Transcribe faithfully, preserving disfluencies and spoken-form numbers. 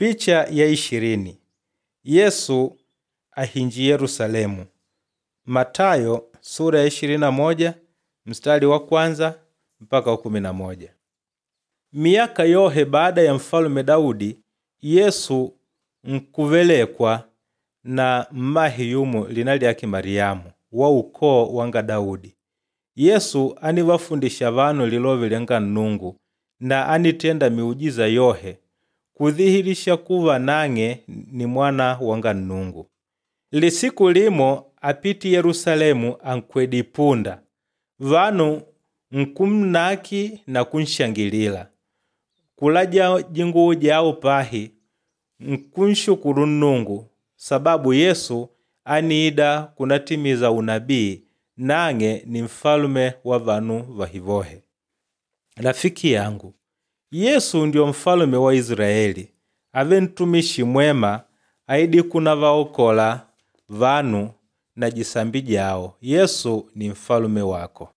Picha ya ishirini Yesu ahinji Yerusalemu. Matayo sura ya ishirini na moja mstari wa kwanza mpaka wa kumi na moja. Miyaka yohe baada ya mfalume Daudi, Yesu nkuvelekwa na mmahe yumo lina lyake Mariamu wa ukoo wanga Daudi. Yesu anivafundisha vanu lilove lyanga Nnungu na anitenda miujiza yohe kudhihilisha kuva nang'e ni mwana wanga Nnungu. Lisiku limo apiti Yerusalemu ankwedi punda, vanu nkumnaki na kunshangilila, kulaja jinguwo jawo pahi nkunshukulu Nnungu sababu Yesu aniida kunatimiza unabii nang'e ni mfalume wa vanu vahivohe. Rafiki yangu, Yesu ndio mfalume wa Israeli, ave ntumishi mwema aidi kunavaokola vanu na jisambi jawo. Yesu ni mfalume wako.